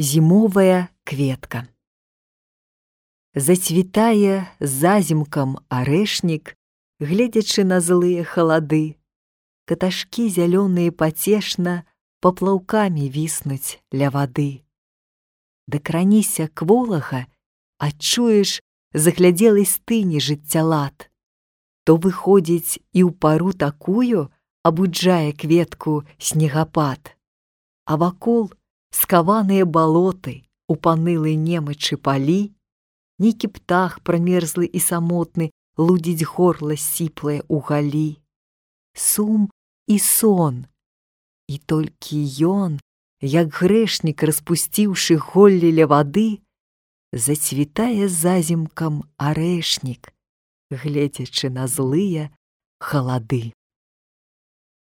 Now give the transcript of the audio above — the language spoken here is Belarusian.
Зімовая кветка. Зацвітае зазімкам арэшнік, гледзячы на злыя халады. Каташкі зялёныя пацешна паплаўкамі віснуць ля вады. Дакраніся к волага, адчуеш заглядзелай стыні жыццялад. То выходзіць і ў пару такую абуджае кветку снегапад. А вакол скаваныя балоты, у панылай немачы палі, нейкі птах прамерзлы і самотны лудзіць горла сіплае ў галі. Сум і сон, і толькі ён, як грэшнік, распусціўшы голлі ля вады, зацвітае зазімкам арэшнік, гледзячы на злыя халады.